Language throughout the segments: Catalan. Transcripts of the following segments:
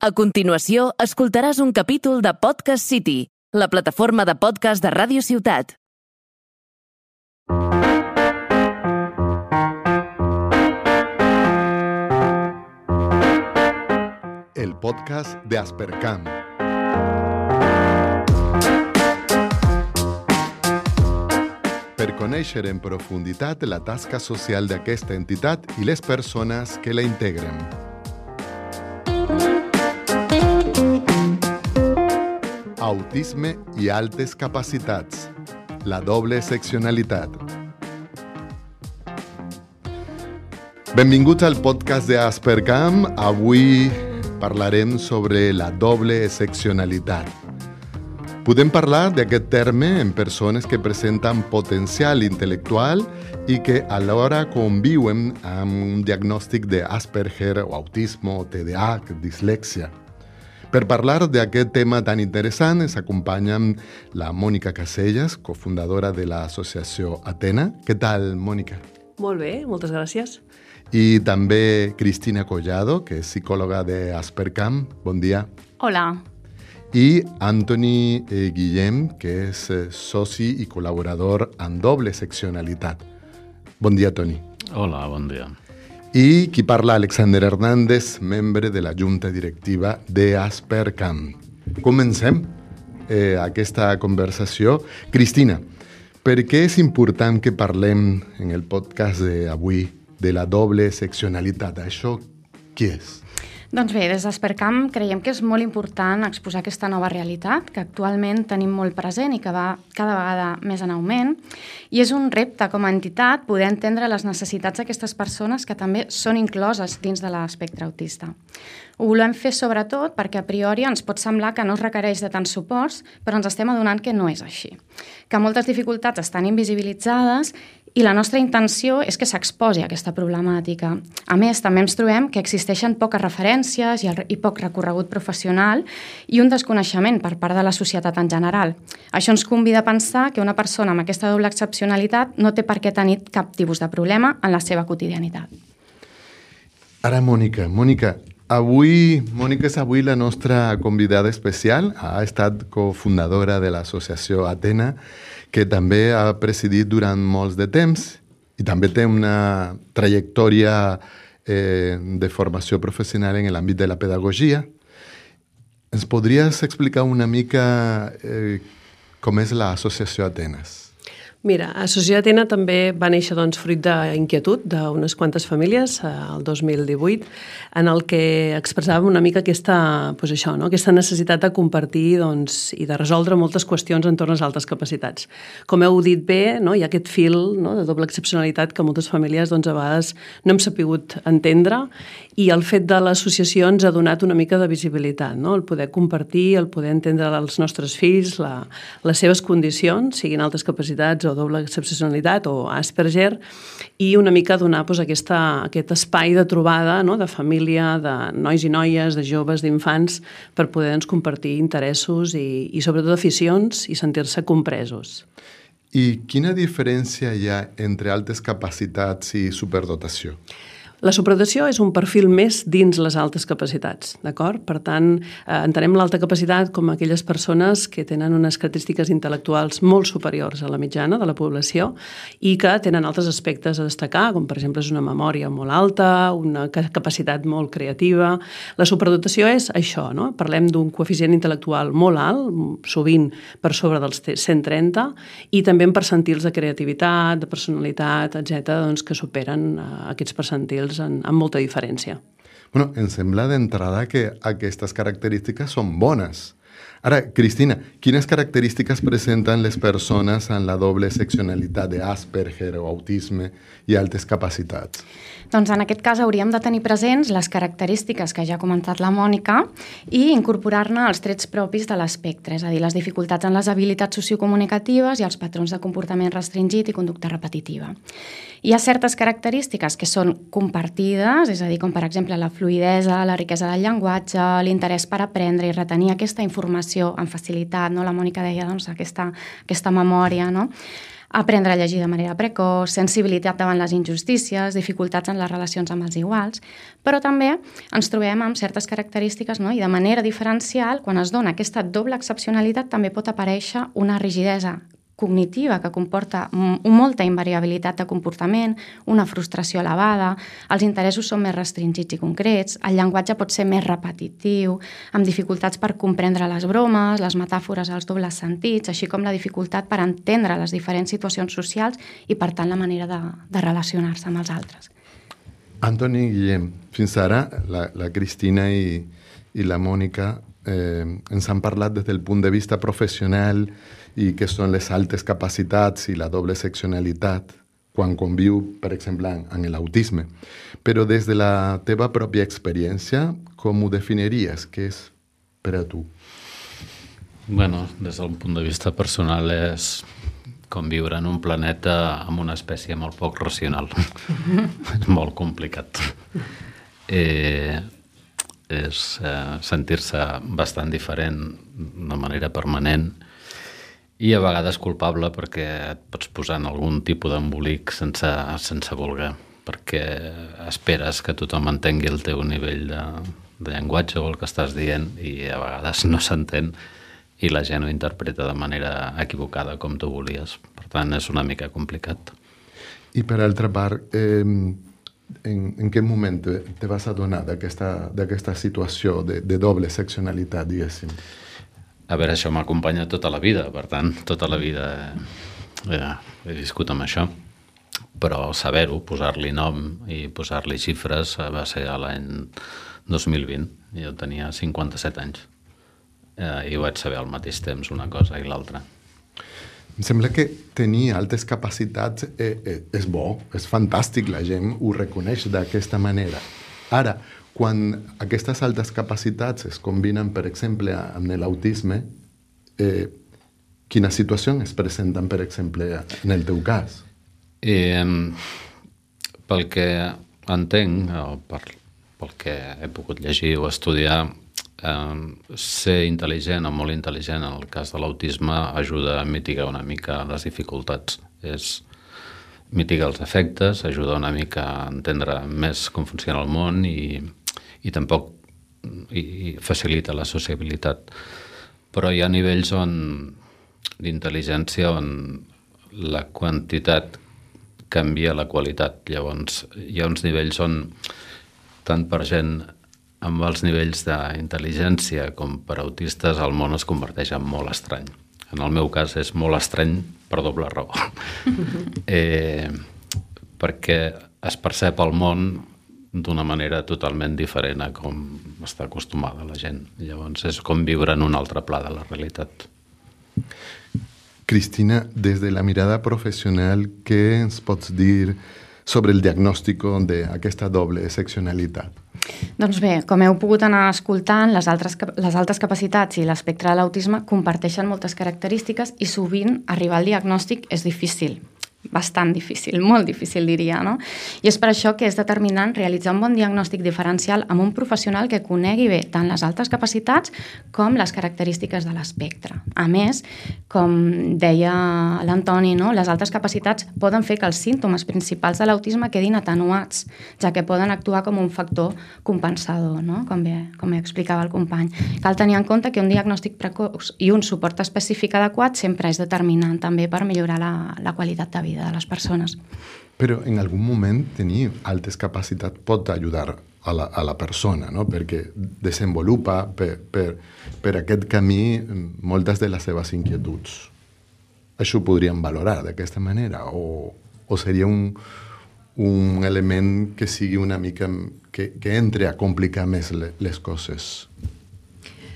A continuació, escoltaràs un capítol de Podcast City, la plataforma de podcast de Ràdio Ciutat. El podcast de Aspercam. Per conèixer en profunditat la tasca social d'aquesta entitat i les persones que la integren. Autisme i altes capacitats. La doble seccionalitat. Benvinguts al podcast de Aspercam. Avui parlarem sobre la doble seccionalitat. Podem parlar d'aquest terme en persones que presenten potencial intel·lectual i que alhora conviuen amb un diagnòstic d'Asperger o autisme o TDAH, dislèxia. Per parlar d'aquest tema tan interessant ens acompanyen la Mònica Casellas, cofundadora de l'associació Atena. Què tal, Mònica? Molt bé, moltes gràcies. I també Cristina Collado, que és psicòloga d'Aspercam. Bon dia. Hola. I Antoni Guillem, que és soci i col·laborador en doble seccionalitat. Bon dia, Toni. Hola, bon dia. I qui parla, Alexander Hernández, membre de la Junta Directiva d'Aspercam. Comencem aquesta conversació. Cristina, per què és important que parlem en el podcast d'avui de la doble seccionalitat? Això què és? Doncs bé, des d'Aspercam creiem que és molt important exposar aquesta nova realitat que actualment tenim molt present i que va cada vegada més en augment, i és un repte com a entitat poder entendre les necessitats d'aquestes persones que també són incloses dins de l'espectre autista. Ho volem fer sobretot perquè a priori ens pot semblar que no es requereix de tants suports, però ens estem adonant que no és així, que moltes dificultats estan invisibilitzades i la nostra intenció és que s'exposi aquesta problemàtica. A més, també ens trobem que existeixen poques referències i poc recorregut professional i un desconeixement per part de la societat en general. Això ens convida a pensar que una persona amb aquesta doble excepcionalitat no té per què tenir cap tipus de problema en la seva quotidianitat. Ara, Mònica, Mònica és avui la nostra convidada especial. Ha estat cofundadora de l'associació Atena, que també ha presidit durant molts de temps i també té una trajectòria de formació professional en l'àmbit de la pedagogia. Ens podries explicar una mica com és l'associació Atenes? Mira, Associació Atena també va néixer fruit d'inquietud d'unes quantes famílies el 2018, en el que expressàvem una mica aquesta necessitat de compartir i de resoldre moltes qüestions entorn a les altes capacitats. Com heu dit bé, hi ha aquest fil de doble excepcionalitat que moltes famílies a vegades no hem sapigut entendre, i el fet de l'associació ens ha donat una mica de visibilitat, el poder compartir, el poder entendre els nostres fills, les seves condicions, siguin altes capacitats o doble excepcionalitat o Asperger, i una mica donar aquest espai de trobada, de família, de nois i noies, de joves, d'infants, per poder compartir interessos i sobretot aficions i sentir-se compresos. I quina diferència hi ha entre altes capacitats i superdotació? La superdotació és un perfil més dins les altes capacitats, d'acord? Per tant, entenem l'alta capacitat com aquelles persones que tenen unes característiques intel·lectuals molt superiors a la mitjana de la població i que tenen altres aspectes a destacar, com per exemple és una memòria molt alta, una capacitat molt creativa. La superdotació és això, Parlem d'un coeficient intel·lectual molt alt, sovint per sobre dels 130, i també en percentils de creativitat, de personalitat, etc., que superen aquests percentils amb molta diferència. Em sembla d'entrada que aquestes característiques són bones. Ara, Cristina, quines característiques presenten les persones en la doble seccionalitat d'Asperger o autisme i altes capacitats? Doncs en aquest cas hauríem de tenir presents les característiques que ja ha comentat la Mònica i incorporar-ne els trets propis de l'espectre, és a dir, les dificultats en les habilitats sociocomunicatives i els patrons de comportament restringit i conducta repetitiva. Hi ha certes característiques que són compartides, és a dir, com per exemple la fluïdesa, la riquesa del llenguatge, l'interès per aprendre i retenir aquesta informació amb facilitat, La Mònica deia aquesta memòria, aprendre a llegir de manera precoç, sensibilitat davant les injustícies, dificultats en les relacions amb els iguals, però també ens trobem amb certes característiques, no? I de manera diferencial, quan es dona aquesta doble excepcionalitat, també pot aparèixer una rigidesa cognitiva que comporta molta invariabilitat de comportament, una frustració elevada, els interessos són més restringits i concrets, el llenguatge pot ser més repetitiu, amb dificultats per comprendre les bromes, les metàfores, els dobles sentits, així com la dificultat per entendre les diferents situacions socials i, per tant, la manera de relacionar-se amb els altres. Antoni i Guillem, fins ara la Cristina i la Mònica ens han parlat des del punt de vista professional i què són les altes capacitats i la doble seccionalitat quan conviu, per exemple, en l'autisme. Però des de la teva pròpia experiència, com ho definiries? Què és per a tu? Bueno, des del punt de vista personal és conviure en un planeta amb una espècie molt poc racional. És molt complicat. És sentir-se bastant diferent de manera permanent i a vegades culpable perquè et pots posar en algun tipus d'embolic sense voler, perquè esperes que tothom entengui el teu nivell de llenguatge o el que estàs dient i a vegades no s'entén i la gent ho interpreta de manera equivocada com tu volies. Per tant, és una mica complicat. I per altra part, en quin moment te vas adonar d'aquesta situació de doble seccionalitat, diguéssim? A veure, això m'acompanya tota la vida, per tant, tota la vida he viscut amb això. Però saber-ho, posar-li nom i posar-li xifres va ser l'any 2020. Jo tenia 57 anys i vaig saber al mateix temps una cosa i l'altra. Em sembla que tenir altes capacitats és bo, és fantàstic, la gent ho reconeix d'aquesta manera. Ara, quan aquestes altes capacitats es combinen, per exemple, amb l'autisme, quines situacions es presenten, per exemple, en el teu cas? Pel que entenc, o pel que he pogut llegir o estudiar, ser intel·ligent o molt intel·ligent en el cas de l'autisme ajuda a mitigar una mica les dificultats. És mitigar els efectes, ajuda una mica a entendre més com funciona el món i tampoc facilita la sociabilitat. Però hi ha nivells d'intel·ligència on la quantitat canvia la qualitat. Llavors, hi ha uns nivells on, tant per gent amb els nivells d'intel·ligència com per autistes, el món es converteix en molt estrany. En el meu cas és molt estrany per doble raó. Perquè es percep el món d'una manera totalment diferent a com està acostumada la gent. Llavors és com viure en un altre pla de la realitat. Cristina, des de la mirada professional, què ens pots dir sobre el diagnòstic d'aquesta doble seccionalitat? Doncs bé, com heu pogut anar escoltant, les altes capacitats i l'espectre de l'autisme comparteixen moltes característiques i sovint arribar al diagnòstic és difícil. Bastant difícil, molt difícil diria, no? I és per això que és determinant realitzar un bon diagnòstic diferencial amb un professional que conegui bé tant les altes capacitats com les característiques de l'espectre. A més, com deia l'Antoni, no? Les altes capacitats poden fer que els símptomes principals de l'autisme quedin atenuats, ja que poden actuar com un factor compensador, no? Com bé explicava el company. Cal tenir en compte que un diagnòstic precoç i un suport específic adequat sempre és determinant també per millorar la qualitat de vida de les persones. Però en algun moment tenir altes capacitats pot ajudar a la persona, no? Perquè desenvolupa per aquest camí moltes de les seves inquietuds. Això ho podríem valorar d'aquesta manera? O seria un element que sigui una mica que entre a complicar més les coses?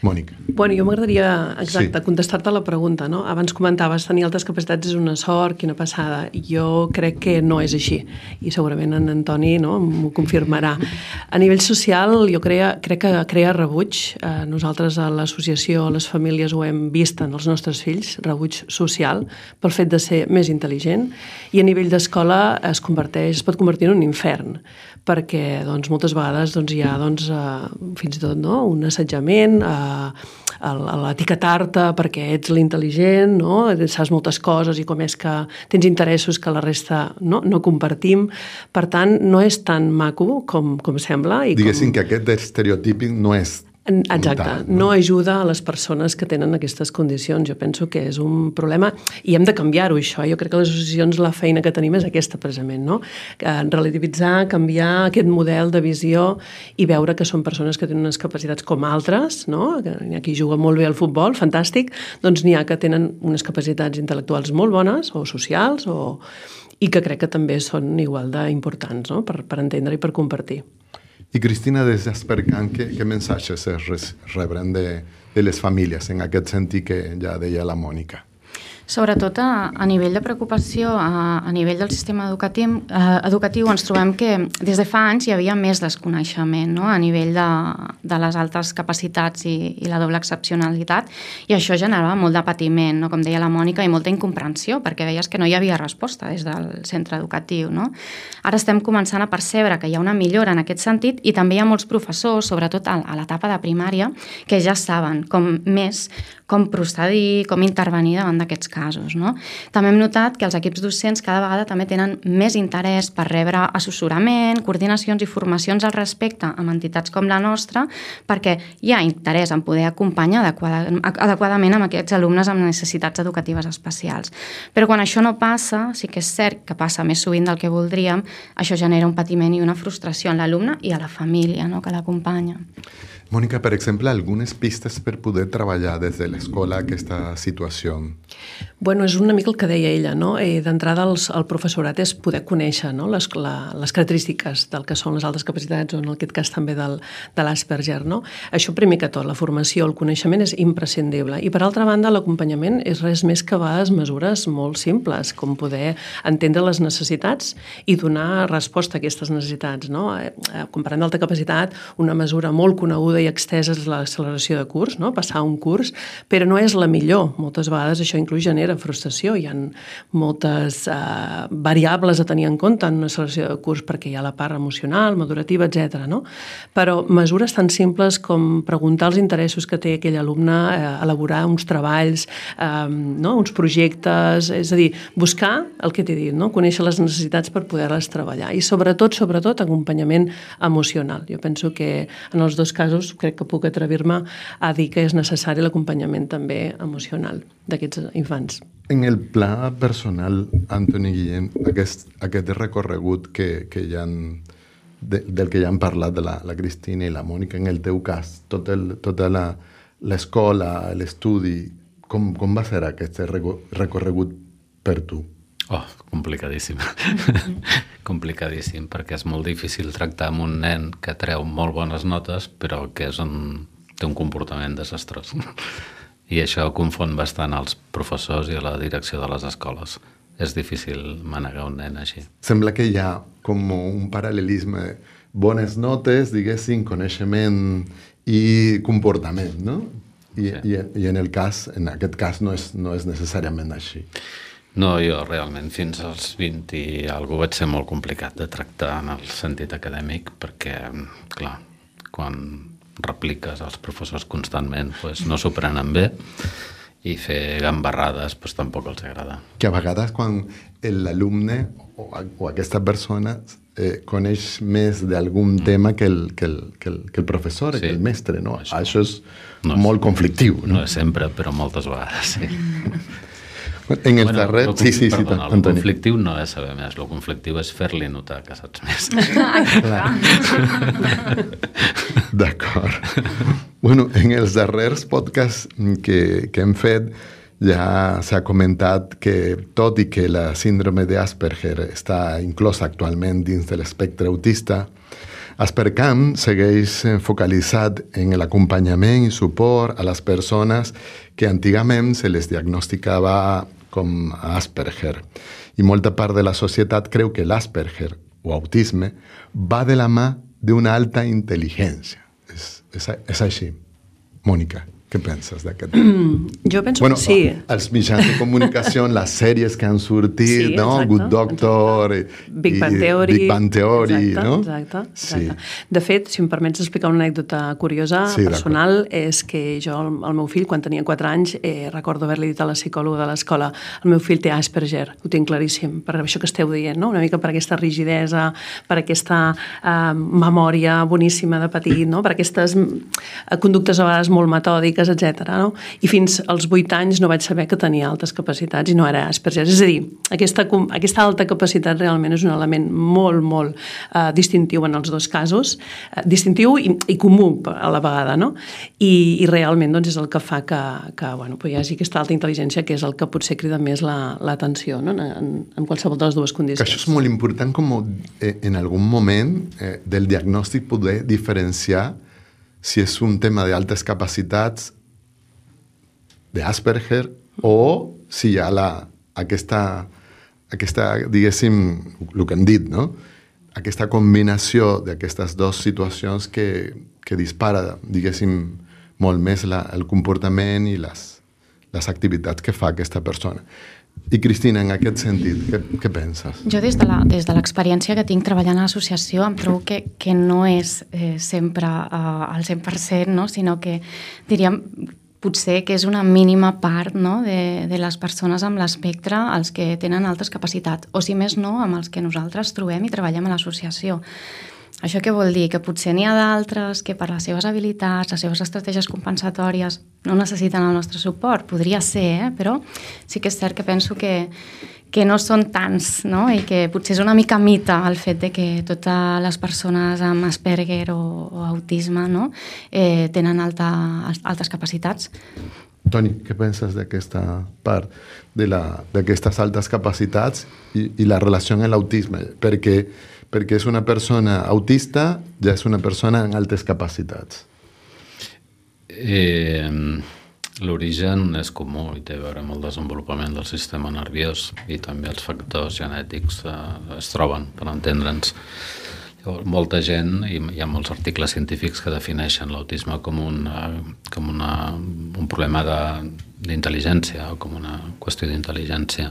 Mònica. Bueno, jo m'agradaria, contestar-te la pregunta, no? Abans comentaves, tenir altes capacitats és una sort, quina passada. Jo crec que no és així, i segurament en Antoni m'ho confirmarà. A nivell social, jo crec que crea rebuig. Nosaltres a l'associació, les famílies ho hem vist en els nostres fills, rebuig social, pel fet de ser més intel·ligent, i a nivell d'escola es pot convertir en un infern, perquè moltes vegades hi ha fins i tot un assetjament, l'etiquetar-te perquè ets l'intel·ligent, no? Saps moltes coses i com és que tens interessos que la resta no compartim. Per tant, no és tan maco com sembla. Diguéssim que aquest estereotípic no és exacte, no ajuda a les persones que tenen aquestes condicions. Jo penso que és un problema i hem de canviar-ho, això. Jo crec que les associacions, la feina que tenim és aquesta, precisament, no? Relativitzar, canviar aquest model de visió i veure que són persones que tenen unes capacitats com altres, no? N'hi ha qui juga molt bé al futbol, fantàstic, doncs n'hi ha que tenen unes capacitats intel·lectuals molt bones o socials i que crec que també són igual d'importants, no? Per entendre i per compartir. I Cristina, des d'Aspercam, què missatges rebren de les famílies en aquest sentit que ja deia la Mònica? Sobretot a nivell de preocupació, a nivell del sistema educatiu ens trobem que des de fa anys hi havia més desconeixement, no? A nivell de les altes capacitats i la doble excepcionalitat, i això generava molt de patiment, no? Com deia la Mònica, i molta incomprensió, perquè veies que no hi havia resposta des del centre educatiu, no? Ara estem començant a percebre que hi ha una millora en aquest sentit i també hi ha molts professors, sobretot a l'etapa de primària, que ja saben com procedir, com intervenir davant d'aquests casos, no? També hem notat que els equips docents cada vegada també tenen més interès per rebre assessorament, coordinacions i formacions al respecte amb entitats com la nostra, perquè hi ha interès en poder acompanyar adequadament amb aquests alumnes amb necessitats educatives especials. Però quan això no passa, sí que és cert que passa més sovint del que voldríem, això genera un patiment i una frustració en l'alumne i a la família, no?, que l'acompanya. Mònica, per exemple, algunes pistes per poder treballar des de l'escola aquesta situació? Bueno, és una mica el que deia ella, no? D'entrada, el professorat és poder conèixer, no? les característiques del que són les altes capacitats, o en aquest cas també de l'Asperger, no? Això primer que tot, la formació, el coneixement és imprescindible. I per altra banda, l'acompanyament és res més que a vegades mesures molt simples, com poder entendre les necessitats i donar resposta a aquestes necessitats, no? Quan parlem d'alta capacitat, una mesura molt coneguda i extesa és l'acceleració de curs, no? Passar un curs, però no és la millor. Moltes vegades això inclús genera frustració. Hi ha moltes variables a tenir en compte en una acceleració de curs perquè hi ha la part emocional, madurativa, etc. No? Però mesures tan simples com preguntar els interessos que té aquell alumne, elaborar uns treballs, no? Uns projectes, és a dir, buscar el que t'he dit, no? Conèixer les necessitats per poder-les treballar. I sobretot, acompanyament emocional. Jo penso que en els dos casos crec que puc atrevir-me a dir que és necessari l'acompanyament també emocional d'aquests infants. En el pla personal, Antoni Guillem, aquest recorregut del que ja han parlat de la Cristina i la Mònica, en el teu cas, tota l'escola, l'estudi, com va ser aquest recorregut per tu? Oh, complicadíssim. Complicadíssim, perquè és molt difícil tractar amb un nen que treu molt bones notes, però que té un comportament desastrós. I això confon bastant als professors i a la direcció de les escoles. És difícil manegar un nen així. Sembla que hi ha com un paral·lelisme, bones notes, diguéssim, coneixement i comportament, no? I en aquest cas no és necessàriament així. No, jo realment fins als 20 i alguna vaig ser molt complicat de tractar en el sentit acadèmic perquè, clar, quan repliques als professors constantment no s'ho prenen bé i fer gambarrades tampoc els agrada. Que a vegades quan l'alumne o aquesta persona coneix més d'algun tema que el professor, que el mestre, no? Això és molt conflictiu. No és sempre, però moltes vegades, sí. En els darrers... Perdona, el conflictiu no és saber més, el conflictiu és fer-li notar que saps més. D'acord. Bueno, en els darrers podcasts que hem fet ja s'ha comentat que tot i que la síndrome d'Asperger està inclosa actualment dins de l'espectre autista, Aspercam segueix focalitzat en l'acompanyament i suport a les persones que antigament se les diagnosticava com Asperger. I molta part de la societat creu que l'Asperger o autisme va de la mà d'una alta intel·ligència. És així. Mònica. Què penses d'aquest? Jo penso que sí. Els mitjans de comunicació, les sèries que han sortit, sí, no? Exacte, Good Doctor, Big Bang Theory, exacte, no? Exacte. Sí. De fet, si em permets explicar una anècdota curiosa, personal, és que jo, el meu fill, quan tenia 4 anys, recordo haver-li dit a la psicòloga de l'escola, el meu fill té Asperger, ho tinc claríssim, per això que esteu dient, no? Una mica per aquesta rigidesa, per aquesta memòria boníssima de petit, no? Per aquestes conductes a vegades molt metòdiques, etc. No? I fins als 8 anys no vaig saber que tenia altes capacitats i no era Asperger. És a dir, aquesta alta capacitat realment és un element molt, molt distintiu en els dos casos, distintiu i comú a la vegada, no? I realment doncs, és el que fa que hi hagi aquesta alta intel·ligència, que és el que potser crida més l'atenció, no? En qualsevol de les dues condicions. Que això és molt important, com en algun moment del diagnòstic poder diferenciar si és un tema d'altes capacitats d'Asperger o si hi ha aquesta, diguéssim, el que hem dit, no? Aquesta combinació d'aquestes dues situacions que dispara, diguéssim, molt més el comportament i les activitats que fa aquesta persona. I Cristina, en aquest sentit, què penses? Jo des de l'experiència que tinc treballant a l'associació em trobo que no és sempre al 100%, no? Sinó que diríem potser que és una mínima part, no? de les persones amb l'espectre els que tenen altes capacitats, o si més no, amb els que nosaltres trobem i treballem a l'associació. Això què vol dir? Que potser n'hi ha d'altres que per les seves habilitats, les seves estratègies compensatòries no necessiten el nostre suport. Podria ser, però sí que és cert que penso que no són tants, no? I que potser és una mica mite el fet de que totes les persones amb Asperger o autisme, no? Tenen altes capacitats. Toni, què penses d'aquesta part, d'aquestes altes capacitats i la relació amb l'autisme? Perquè és una persona autista, ja és una persona amb altes capacitats. L'origen és comú i té a veure amb el desenvolupament del sistema nerviós i també els factors genètics es troben, per entendre'ns. Molta gent, i hi ha molts articles científics que defineixen l'autisme com un problema d'intel·ligència o com una qüestió d'intel·ligència.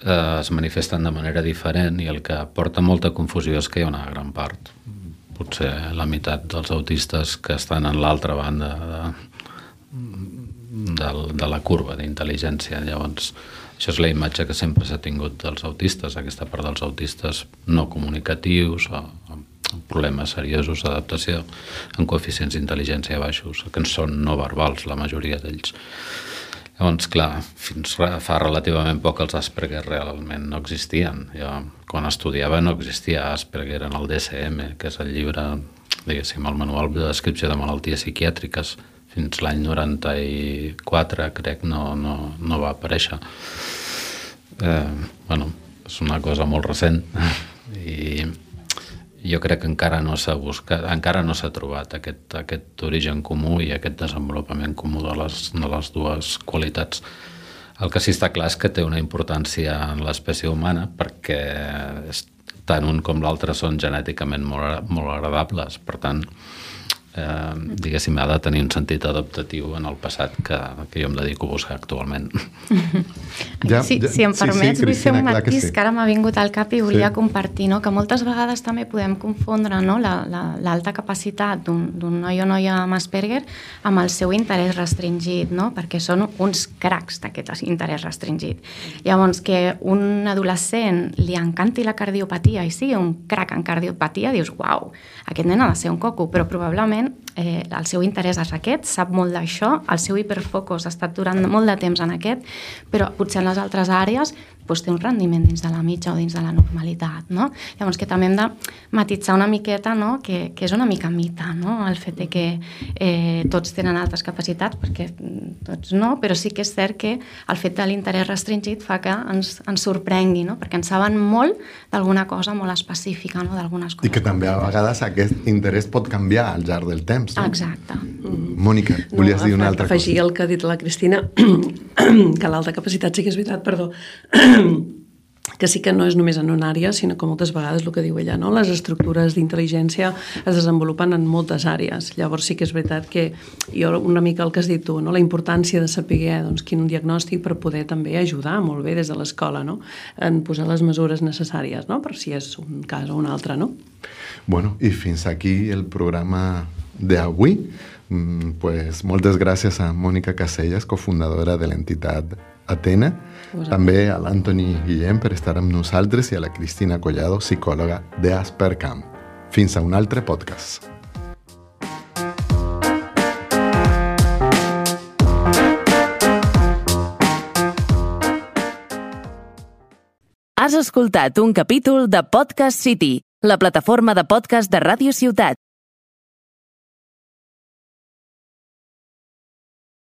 Es manifesten de manera diferent i el que porta molta confusió és que hi ha una gran part, potser la meitat dels autistes que estan en l'altra banda de la curva d'intel·ligència. Llavors, això és la imatge que sempre s'ha tingut dels autistes, aquesta part dels autistes no comunicatius o amb problemes seriosos d'adaptació, amb coeficients d'intel·ligència baixos, que són no verbals, la majoria d'ells. Llavors, clar, fins fa relativament poc els Asperger realment no existien. Jo, quan estudiava, no existia Asperger en el DSM, que és el llibre, diguéssim, el manual de descripció de malalties psiquiàtriques. Fins l'any 94, crec, no va aparèixer. És una cosa molt recent i jo crec que encara no s'ha buscat, encara no s'ha trobat aquest origen comú i aquest desenvolupament comú de les dues qualitats. El que sí està clar és que té una importància en l'espècie humana perquè tant un com l'altre són genèticament molt agradables. Per tant, diguéssim, ha de tenir un sentit adaptatiu en el passat que jo em dedico a buscar actualment. Si em permets, vull fer un matís que ara m'ha vingut al cap i volia compartir, que moltes vegades també podem confondre l'alta capacitat d'un noi o noia amb Asperger amb el seu interès restringit, perquè són uns cracs d'aquest interès restringit. Llavors, que un adolescent li encanti la cardiopatia i sigui un crac en cardiopatia, dius, uau, aquest nen ha de ser un coco, però probablement el seu interès és aquest, sap molt d'això, el seu hiperfocus ha estat durant molt de temps en aquest, però potser en les altres àrees té un rendiment dins de la mitja o dins de la normalitat, no? Llavors que també hem de matitzar una miqueta, que és una mica mite, el fet de que tots tenen altes capacitats, perquè tots no, però sí que és cert que el fet de l'interès restringit fa que ens sorprengui, perquè en saben molt d'alguna cosa molt específica, d'algunes coses. I que també a vegades aquest interès pot canviar al llarg del temps, no? Exacte. Mònica, volies dir una altra cosa? Afegir el que ha dit la Cristina, que l'alta capacitat sí que és veritat, perdó, que sí que no és només en una àrea, sinó que moltes vegades el que diu ella, no? Les estructures d'intel·ligència es desenvolupen en moltes àrees. Llavors sí que és veritat que jo una mica el que has dit tu, no? La importància de saber doncs, quin diagnòstic per poder també ajudar molt bé des de l'escola, no? En posar les mesures necessàries, no? Per si és un cas o un altre, no? Bueno, i fins aquí el programa d'avui. Pues moltes gràcies a Mònica Casellas, cofundadora de l'entitat Atena, també a l'Antoni Guillem per estar amb nosaltres i a la Cristina Collado, psicòloga d'Aspercam. Fins a un altre podcast. Has escoltat un capítol de Podcast City, la plataforma de podcast de Ràdio Ciutat.